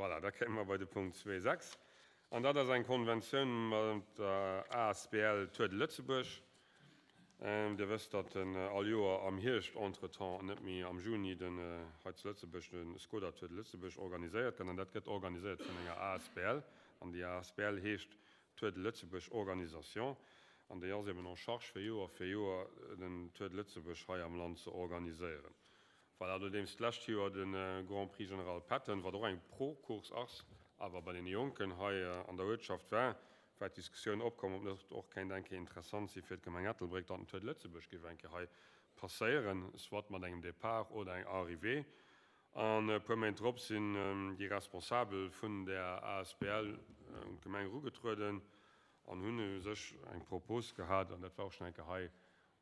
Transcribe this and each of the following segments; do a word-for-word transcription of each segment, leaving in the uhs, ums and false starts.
Voilà, da kéime mer bei de Punkt zwee sechs. An dat ass eng Konventioun mat der asbl Tour de Lëtzebuerg. Dir wësst, datt den all Joer am Hierscht entretemps, net méi am Juni, den hei zu Lëtzebuerg de Skoda Tour de Lëtzebuerg organiséiert gëtt. An dat gëtt organiséiert vun enger asbl. An déi asbl heescht Tour de Lëtzebuerg Organisation. An déi ass eben en charge fir Joer fir Joer den Tour de Lëtzebuerg hei am Land ze organiséieren. Voilà, nodeems d'lescht Joer de Grand Prix Général Patton, wat och eng Pro-Course ass, awer bei deene Jonken hei an der Uertschaft war, war d'Diskussioun opkomm, ob net och kéint eng Kéier interessant si fir d'Gemeng Ettelbréck, datt den Tour de Lëtzebuerg géif eng Kéier hei passéieren, soit mat engem Départ oder eng Arrivée. An e puer Méint drop sinn déi Responsabel vun där asbl un d'Gemeng erugetrueden an hunn u sech eng Propos gehat, an dat war och schonn eng Kéier hei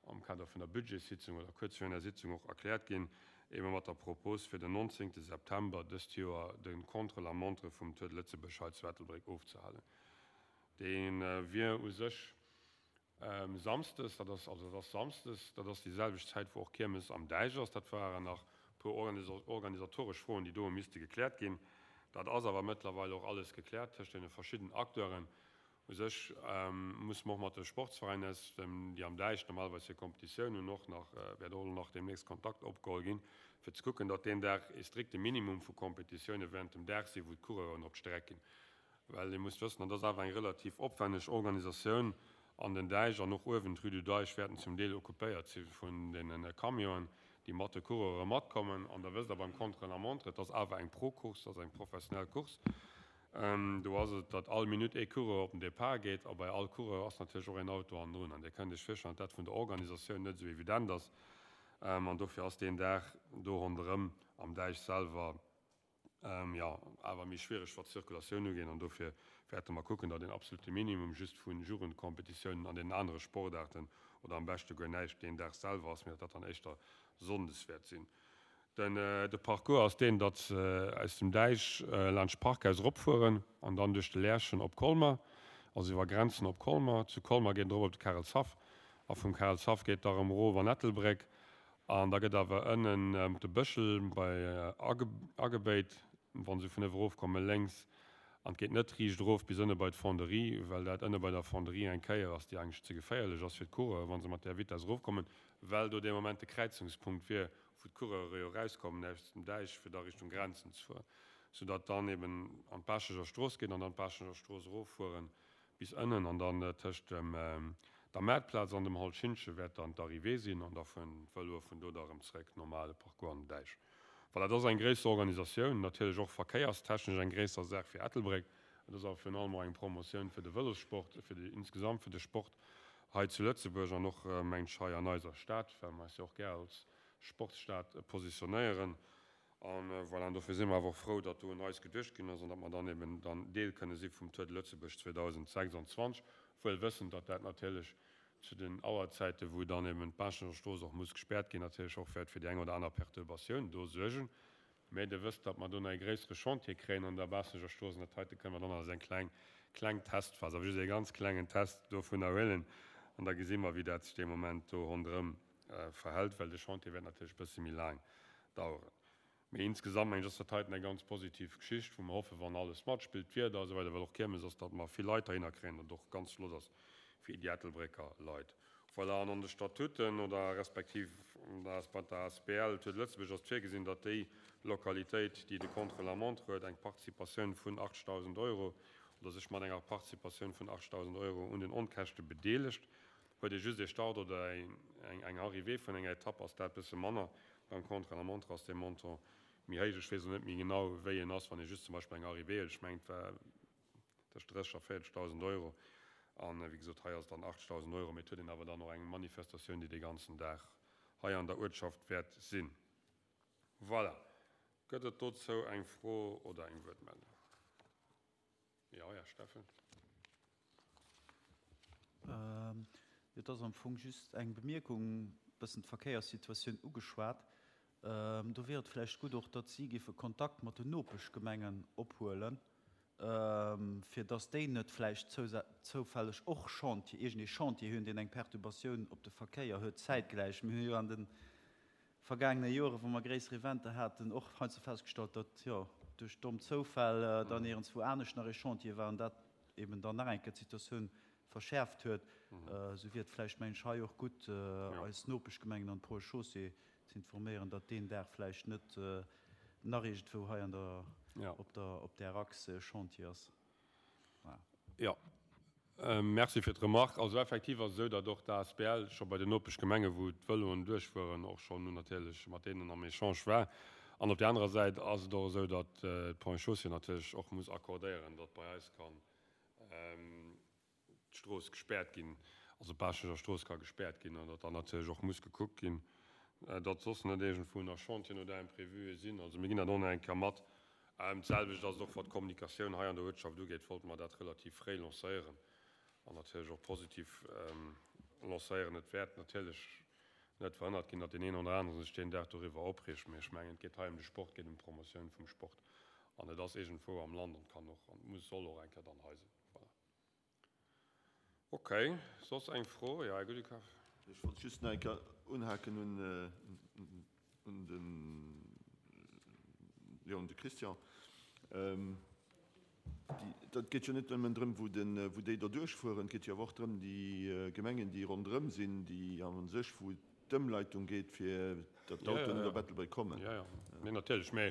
am Kader vun der Budgetssitzung oder kuerz virun der Sitzung och erkläert ginn, ebe mat der Propos fir den nonzéngte September dëst Joer de Contre-la-montre vum Tour de Lëtzebuerg hei zu Ettelbréck ofzehalen. Dee wier u sech samsdes, dat ass also dat ass samsdes, dat ass déi selwecht Zäit wou och Kiermes am Däich ass. Dat waren nach e puer organisatoresch Froen, déi do hu misste gekläert ginn. Dat ass awer mëttlerweil och alles gekläert tëscht deene verschidden Acteuren. U sech musse mer och mat de Sportsveräiner, déi am Däich normalerweis hir Kompetitioun hunn, och nach, wäert och elo nach deemnächst Kontakt opgeholl ginn, fir ze kucken, datt deen Dag ee strikte Minimum vu Kompetitioune während dem Dag sinn, wou d'Coureuren op d'Streck ginn. Well Dir musst wëssen, dat ass awer eng relativ opwänneg Organisatioun an den Däich an och uewen d'Rue du Deich wäerten zum Deel occupéiert si vun deene Camionen, déi mat de Coureure matkommen. An da wësst Der beim Contre-la-montre, et ass awer eng Pro-Course, et ass eng professionell Course. Do ass et, datt all Minutt ee Coureur op den Depart geet a bei all Coureur ass natierlech och een Auto hannendrun. An Dir kënnt Iech virstellen, datt dat vun der Organisatioun net esou evident ass. An dofir ass deen Dag do ronderëm am Däich selwer, jo, awer méi schwiereg, wat d'Zirkulatioun ugeet. An dofir wäerte mer kucken, datt een absolute Minimum just vu Jugendkompetitiounen an deenen anere Sportaarten oder am beschte guer näischt deen Dag selwer ass, mee datt dat dann éischter sonndes wäert sinn. Den de Parcours ass deen, datt se aus dem Däich laanscht d'Parkhaus eropfueren an dann duerch de Lärchen op Colmer, also iwwer Grenzen op Colmer. Zu Colmer geet et erop op de Karelshaff a vum Karelshaff geet et da erëm erof an Ettelbréck an da gëtt awer ënnen op de Bëschel bei agebéit, wa se vun ëwe erofkommen, lénks an et geet net riicht erof bis ënne bei d'Fonderie, well dat ënne bei der Fonderie eng Kéier ass, déi eigentlech ze geféierlech ass fir d'Coureuren, wa se mat där Vitess erofkommen, well do dee Moment de Kräizungspunkt wier, wou d'Coureure jo erauskommen aus dem Däich, fir da Richtung Grenzen ze fueren, soudatt dann eben an d'Baaschteger Strooss geet an dann d'Baaschteger Strooss eroffuere bis ënnen an dann tëscht dem der Maartplaz an dem Hall Schintgen wäert dann d'Arrivée sinn an da fueren d'Vëloe vun do da erëm zeréck, normale Parcours an den Däich. Voilà, dat ass eng gréisser Organisatioun, natierlech och verkéierstechnesch eng gréisser Saach fir Ettelbréck. Et ass awer virun allem och eng Promotioun fir de Vëlossport, fir de, insgesamt fir de Sport hei zu Lëtzebuerg an och, mengen ech, hei an eiser Stad, well mer eis jo och gär als Sportsstad positionéieren. An voilà, an dofir si mer awer och frou, datt do un eis geduecht ginn ass an datt mer dann eben dann Deel kënne si vum Tour de Lëtzebuerg zweedausendsechsundzwanzeg, wuel wëssend, datt dat natierlech zu den Auerzäiten, wou dann eben d'Baaschtnecher Strooss och muss gespäert ginn, natierlech och wäert fir déi eng oder aner Perturbatioun do suergen. Mä Dir wësst, datt mer do nach ee gréissere Chantier kréien an der Baaschtnecher Strooss an dat heite kënne mer dann als eng kleng, kleng Testphas, awer just ee ganz klengen Test dovunner huelen an da gesi mer, wéi dat sech dee Moment do ronderëm verhält, well de Chantier wäert natierlech e bësse méi laang daueren. Mee insgesamt, mengen ech, ass dat heiten eng ganz positiv Geschicht, wou mer hoffen, wann alles matspillt, d'Wieder a sou weider, well och Kiermes ass, datt mer vill Leit heihinner kréien, datt et och ganz flott ass fir déi Ettelbrécker Leit. Voilà, an an de Statuten oder respektiv bei der asbl Tour de Lëtzebuerg ass et virgesinn, datt déi Lokalitéit, déi de Contre-la-montre huet, eng Participatioun vun achtzegdausend Euro oder sech mat enger Participatioun vun achtzegdausend Euro un den Onkäschte bedeelegt. Huet ee just ee Start oder eng Arrivée vun enger Etapp, ass dat e bësse manner. Beim Contre-la-montre ass dee Montant méi héich. Ech weess elo net méi genau, wéi en ass, wann ee just zum Beispill eng Arrivée huet. Ech mengen, et war tëscht dréisseg a véierzegdausend Euro. An, wéi gesot, hei ass et dann achtzegdausend Euro. Mee et huet een awer dann och eng Manifestatioun, déi dee ganzen Dag hei an der Uertschaft wäert sinn. Voilà. Gëtt et dozou eng Fro oder eng Wuertmeldung? Jo, Här Steffen. Jo, et ass am Fong just eng Bemierkung, e bëssen d'Verkéierssituatioun ugeschwat. Do wier et vläicht gutt och, datt si géife Kontakt mat den Nopeschgemengen ophuelen, fir datt déi net vläicht zoufälleg och Chantier, iergendee Chantier hunn, deen eng Perturbatioun op de Verkéier huet zäitgläich. Mir hu jo an de vergaangene Joren, wou mer gréisser Eventer haten, och heiansdo festgestallt, datt, jo, duerch domm Zoufäll dann iergendswou anescht nach ee Chantier war an dat eben dann nach eng Kéier d'Situatioun verschäerft huet, esou wier et vläicht, mengen ech, hei och gutt, eis Nopeschgemengen an d'Ponts et Chaussées ze informéieren, datt deen Dag vläicht net nach iergendwou hei an der, op der, op där Achs e Chantier ass. Voilà. Jo, merci fir d'Remark. Also effektiv ass et esou, datt och d'ASBL scho bei den Nopeschgemengen, wou d'Vëloen duerchfueren, och schonn natierlech mat deenen am Echange war. An op där anerer Säit ass et och esou, datt d'Ponts et Chaussées natierlech och muss accordéieren, datt bei eis kann d'Strooss gespäert ginn, also d'Baaschteger Strooss ka gespäert ginn an datt dann natierlech och muss gekuckt ginn, datt soss net iergendwou nach Chantieren oder Imprévue sinn. Also mir ginn dat och nach eng Kéier mat. D'selwecht ass et och, wat d'Kommunikatioun hei an der Uertschaft ugeet, wollte mer dat relativ fréi lancéieren an natierlech och positiv lancéieren. Et wäert natierlech net verhënnert ginn, datt deen een oder anere sech deen Dag doriwwer opreegt, mee ech mengen, et geet hei ëm de Sport, et geet ëm d'Promotioun vum Sport an et ass iergendwou am Land an kann och an muss, soll och eng Kéier dann hei sinn. Voilà. Okay, soss eng Fro? Jo, Här Guddekoff. Ech wollt just nach eng Kéier unhaken un un den, jo, un de Christian. Déi, dat geet jo net nëmmen drëm, wou den, wou déi do duerchfueren, et geet jo awer och drëm, déi Gemengen, déi ronderëm sinn, déi a sech, wou d'Ëmleitung geet, fir datt d'Autoen net op Ettelbréck kommen. Jo, jo, nee, natierlech. Mä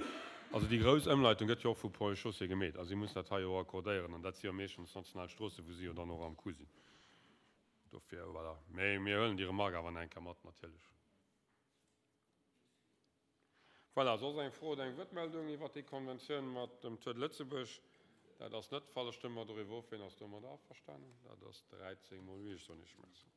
also déi grouss Ëmleitung gëtt jo och vu Ponts et Chaussées gemeet. Also si mussen dat hei jo och accordéieren. An dat si jo meeschtens national Stroossen, wou si jo dann och am Coup sinn. Dofir, voilà. Mä mir huelen déi Remarque awer nach eng Kéier mat, natierlech. Voilà, soss eng Fro oder eng Wuertmeldung iwwert déi Konventioun mat dem Tour de Lëtzebuerg? Dat ass net de Fall. Da stëmme mer doriwwer of. Wien ass domadder averstanen? Dat ass dräizéng mol huit. Ech soen Iech Merci.